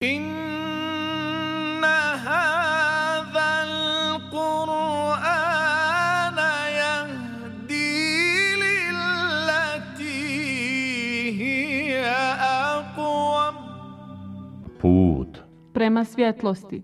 إن هذا القرآن يهدي للتي هي أقوم. Put prema svjetlosti.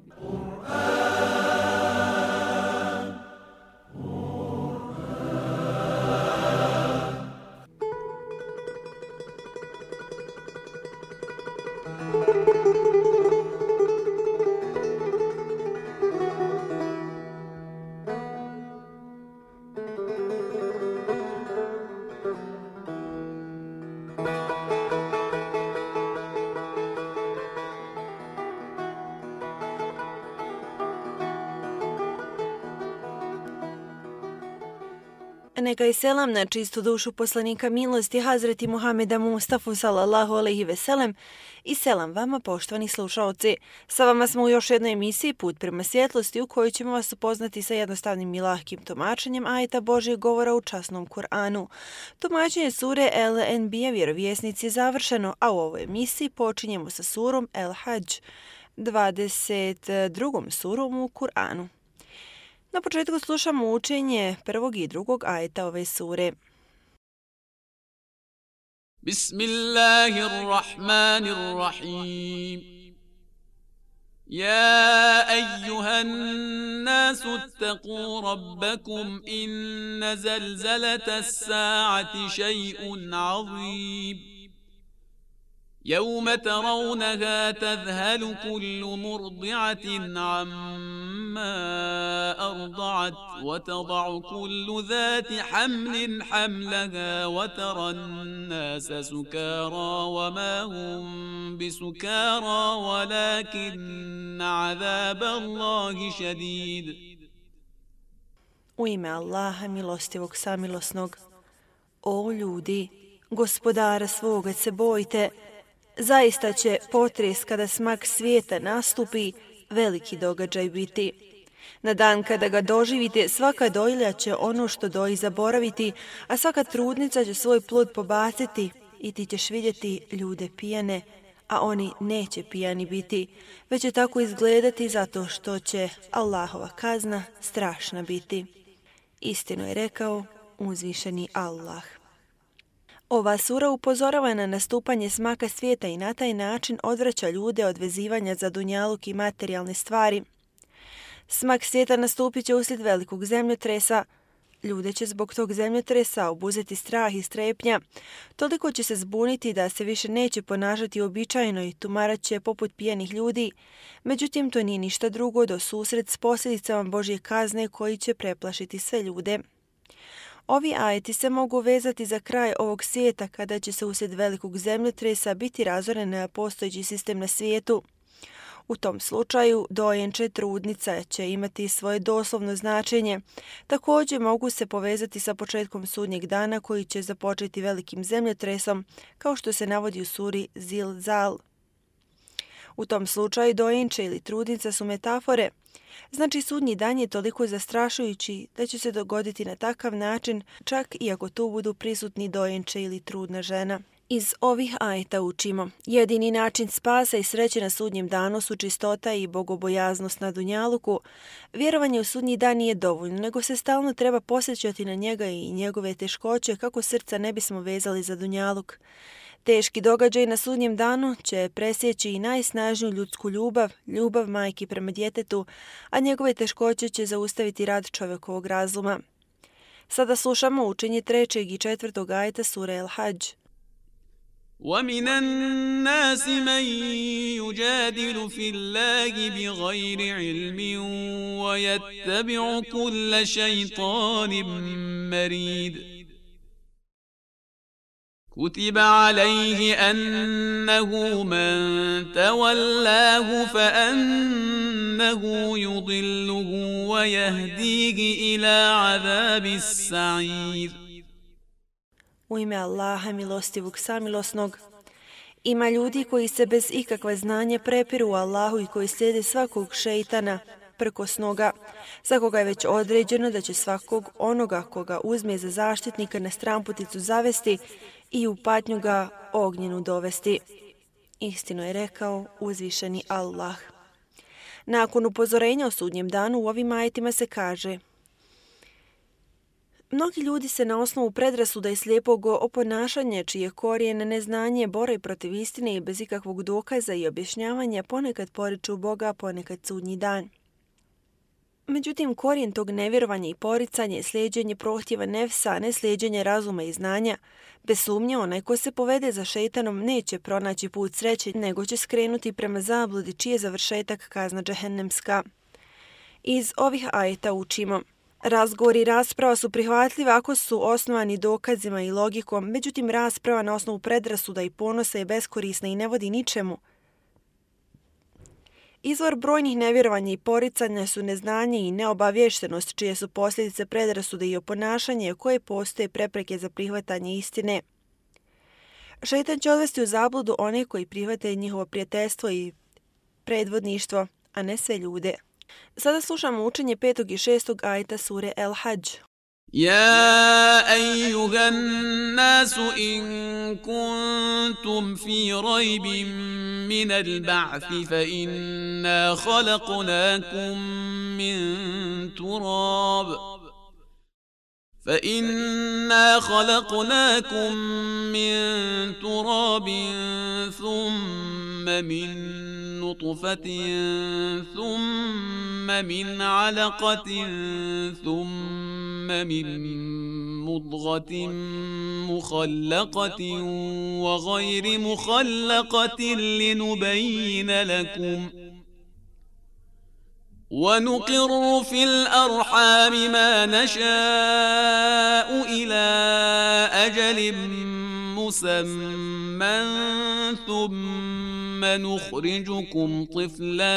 Neka je selam na čistu dušu poslanika milosti Hazreti Muhameda Mustafa sallallahu alejhi ve sellem i selam vama poštovani slušaoci. Sa vama smo u još jednoj emisiji Put prema svjetlosti u kojoj ćemo vas upoznati sa jednostavnim i lahkim tumačenjem ajeta Božjeg govora u časnom Kur'anu. Tumačenje sure El-Enbija vjerovjesnici je završeno, a u ovoj emisiji počinjemo sa surom El-Hadž, 22. surom u Kur'anu. Na početku slušamo učenje prvog i drugog ajeta ove sure. Bismillahirrahmanirrahim. Ya eyyuhan nasu ittaqu rabbakum inna zalzalata as-sa'ati shay'un 'azim. يوم ترونها تذهل كل مرضعة عما أرضعت وتضع كل ذات حمل حملها وترى الناس سكارى وما هم بسكارى ولكن عذاب الله شديد. U ime Allaha milostivog samilosnog. O ljudi, gospodara svoga se bojte. Zaista će potres kada smak svijeta nastupi veliki događaj biti. Na dan kada ga doživite, svaka dojilja će ono što doji zaboraviti, a svaka trudnica će svoj plod pobaciti i ti ćeš vidjeti ljude pijane, a oni neće pijani biti, već će tako izgledati zato što će Allahova kazna strašna biti. Istinu je rekao uzvišeni Allah. Ova sura upozorava na nastupanje smaka svijeta i na taj način odvraća ljude od vezivanja za dunjaluk i materijalne stvari. Smak svijeta nastupit će uslijed velikog zemljotresa. Ljude će zbog tog zemljotresa obuzeti strah i strepnja. Toliko će se zbuniti da se više neće ponašati uobičajeno i tumarat će poput pijanih ljudi. Međutim, to nije ništa drugo do susret s posljedicama Božje kazne koji će preplašiti sve ljude. Ovi ajeti se mogu vezati za kraj ovog svijeta kada će se uslijed velikog zemljotresa biti razoren postojeći sistem na svijetu. U tom slučaju dojenče trudnica će imati svoje doslovno značenje. Također mogu se povezati sa početkom sudnjeg dana koji će započeti velikim zemljotresom, kao što se navodi u suri Zilzal. U tom slučaju dojenče ili trudnica su metafore. Znači sudnji dan je toliko zastrašujući da će se dogoditi na takav način, čak i ako tu budu prisutni dojenče ili trudna žena. Iz ovih ajeta učimo: jedini način spasa i sreće na sudnjem danu su čistota i bogobojaznost na dunjaluku. Vjerovanje u sudnji dan nije dovoljno, nego se stalno treba posjećati na njega i njegove teškoće kako srca ne bismo vezali za dunjaluk. Teški događaj na sudnjem danu će presjeći i najsnažniju ljudsku ljubav, ljubav majki prema djetetu, a njegove teškoće će zaustaviti rad čovjekovog razuma. Sada slušamo učenje 3. i 4. ajeta sure El-Hadž. وَمِنَ النَّاسِ مَن يُجَادِلُ فِي اللَّهِ بِغَيْرِ عِلْمٍ وَيَتَّبِعُ كُلَّ شَيْطَانٍ مَّرِيدٍ كتب عليه أنه من تولاه فأنه يضله ويهديه إلى عذاب السعير. U ime Allaha milostivog samilosnog. Ima ljudi koji se bez ikakve znanja prepiru u Allahu i koji slijede svakog šeitana prkosnoga, za koga je već određeno da će svakog onoga koga uzme za zaštitnika na stramputicu zavesti i u patnju ga ognjenu dovesti. Istinu je rekao uzvišeni Allah. Nakon upozorenja o sudnjem danu u ovim ajetima se kaže: mnogi ljudi se na osnovu predrasuda i slijepog oponašanja, čije korijene neznanje bore protiv istine i bez ikakvog dokaza i objašnjavanja, ponekad poriču Boga, ponekad sudnji dan. Međutim, korijen tog nevjerovanja i poricanja je slijeđenje prohtjeva nefsa, a ne slijeđenje razuma i znanja. Bez sumnje, onaj ko se povede za šejtanom neće pronaći put sreće, nego će skrenuti prema zabludi, čiji je završetak kazna džehennemska. Iz ovih ajeta učimo: razgovori i rasprava su prihvatljive ako su osnovani dokazima i logikom, međutim rasprava na osnovu predrasuda i ponosa je beskorisna i ne vodi ničemu. Izvor brojnih nevjerovanja i poricanja su neznanje i neobavještenost, čije su posljedice predrasude i oponašanje koje postoje prepreke za prihvatanje istine. Šejtan će odvesti u zabludu one koji prihvate njihovo prijateljstvo i predvodništvo, a ne sve ljude. Sada slušamo učenje 5. i 6. ajeta sure El Hadž. يا أيها الناس إن كنتم في ريب من البعث فإنا خلقناكم من تراب ثم من نطفة ثم من علقة ثم من مضغة مخلقة وغير مخلقة لنبين لكم ونقر في الأرحام ما نشاء إلى أجل مسمى ثم نخرجكم طفلا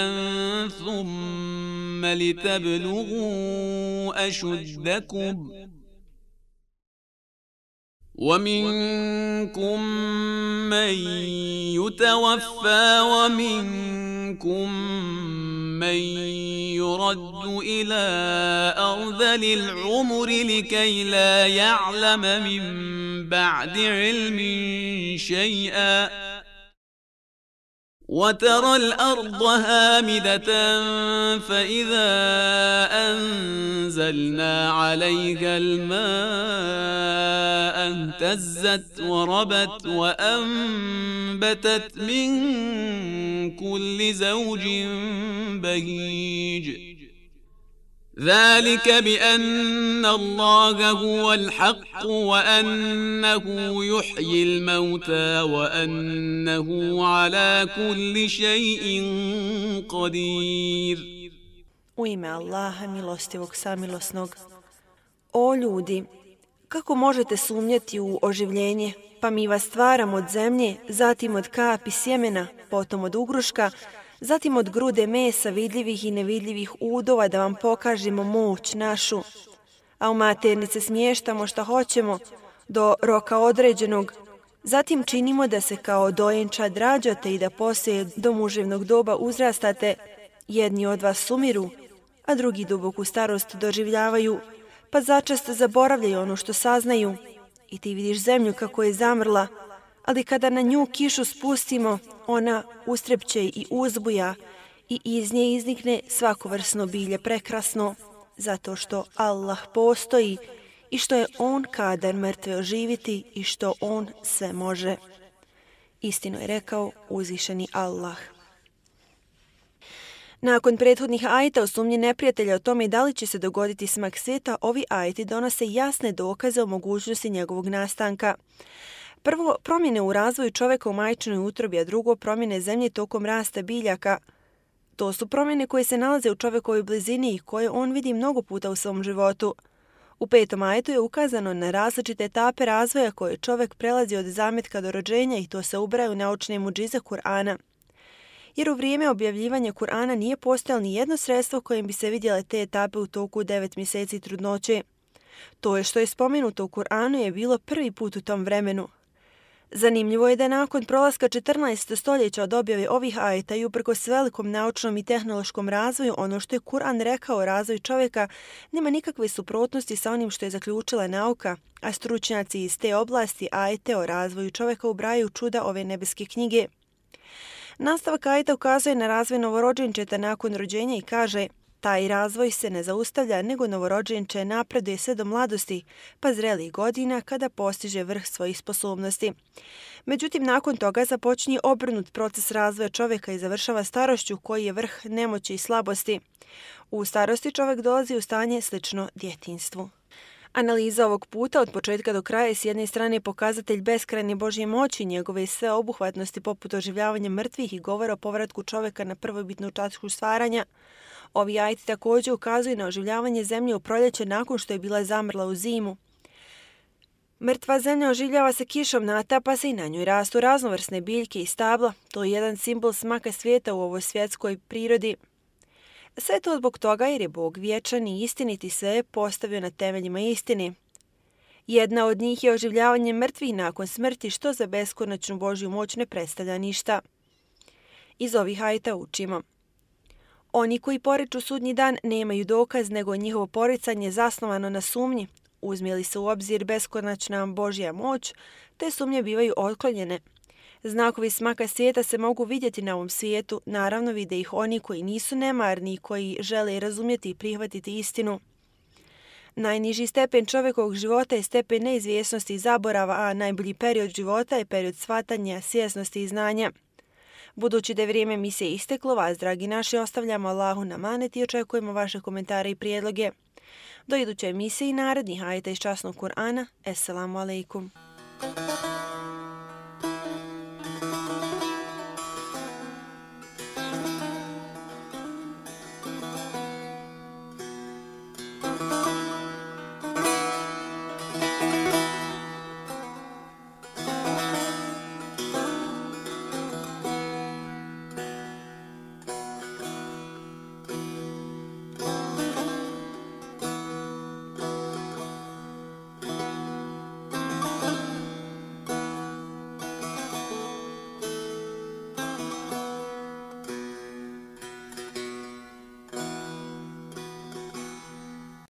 ثم لتبلغوا أشدكم ومنكم من يتوفى ومنكم من يرد إلى أرذل العمر لكي لا يعلم من بعد علم شيئا وترى الأرض هامدة فإذا أنزلنا عليها الماء اهتزت وربت وأنبتت من كل زوج بهيج ذلك بأن الله هو الحق وأنه يحيي الموتى وأنه على كل شيء قدير. U ime Allaha milostivog samilosnog. O ljudi, kako možete sumnjati u oživljenje? Pa mi vas stvaramo od zemlje, zatim od kapi sjemena, potom od ugruška, zatim od grude mesa vidljivih i nevidljivih udova da vam pokažemo moć našu. A u maternice smještamo šta hoćemo do roka određenog. Zatim činimo da se kao dojenčad rađate i da poslije do muževnog doba uzrastate. Jedni od vas sumiru, a drugi duboku starost doživljavaju, pa začas zaboravljaju ono što saznaju. I ti vidiš zemlju kako je zamrla, ali kada na nju kišu spustimo, ona ustrepće i uzbuja i iz nje iznikne svakovrsno bilje prekrasno, zato što Allah postoji i što je On kadar mrtve oživiti i što On sve može. Istinu je rekao uzvišeni Allah. Nakon prethodnih ajeta o sumnji neprijatelja o tome da li će se dogoditi smak svijeta, ovi ajeti donose jasne dokaze o mogućnosti njegovog nastanka. Prvo, promjene u razvoju čovjeka u majčinoj utrobi, a drugo, promjene zemlje tokom rasta biljaka. To su promjene koje se nalaze u čovjekovoj blizini i koje on vidi mnogo puta u svom životu. U 5. ajetu je ukazano na različite etape razvoja koje čovjek prelazi od zametka do rođenja i to se ubraja u naučne mudžize Kur'ana. Jer u vrijeme objavljivanja Kur'ana nije postojalo ni jedno sredstvo kojim bi se vidjele te etape u toku 9 mjeseci trudnoće. To je što je spomenuto u Kur'anu je bilo prvi put u tom vremenu. Zanimljivo je da nakon prolaska 14. stoljeća od objave ovih ajeta i uprkos velikom naučnom i tehnološkom razvoju, ono što je Kur'an rekao o razvoju čovjeka nema nikakve suprotnosti sa onim što je zaključila nauka, a stručnjaci iz te oblasti ajete o razvoju čovjeka ubrajaju čuda ove nebeske knjige. Nastavak ajeta ukazuje na razvoj novorođenčeta nakon rođenja i kaže: taj razvoj se ne zaustavlja, nego novorođenče napreduje sve do mladosti, pa zrelih godina kada postiže vrh svojih sposobnosti. Međutim, nakon toga započinje obrnut proces razvoja čovjeka i završava starošću koji je vrh nemoći i slabosti. U starosti čovjek dolazi u stanje slično djetinjstvu. Analiza ovog puta od početka do kraja je s jedne strane pokazatelj beskrajne Božje moći, njegove sveobuhvatnosti poput oživljavanja mrtvih i govora o povratku čovjeka na prvobitnu tačku stvaranja. Ovi ajeti također ukazuju na oživljavanje zemlje u proljeće nakon što je bila zamrla u zimu. Mrtva zemlja oživljava se kišom, natapa se i na njoj rastu raznovrsne biljke i stabla. To je jedan simbol smaka svijeta u ovoj svjetskoj prirodi. Sve to zbog toga jer je Bog vječan i istinit i sve je postavio na temeljima istine. Jedna od njih je oživljavanje mrtvih nakon smrti, što za beskonačnu Božju moć ne predstavlja ništa. Iz ovih ajeta učimo: oni koji poriču sudnji dan nemaju dokaz, nego njihovo poricanje zasnovano na sumnji. Uzme li se u obzir beskonačna Božja moć, te sumnje bivaju otklonjene. Znakovi smaka svijeta se mogu vidjeti na ovom svijetu, naravno vide ih oni koji nisu nemarni, koji žele razumjeti i prihvatiti istinu. Najniži stepen čovjekovog života je stepen neizvjesnosti i zaborava, a najbolji period života je period shvatanja, svjesnosti i znanja. Budući da je vrijeme emisije isteklo, vas, dragi naši, ostavljamo Allahu na amanet i očekujemo vaše komentare i prijedloge. Do iduće emisije i narednih ajeta iz časnog Kur'ana. Esselamu alaikum.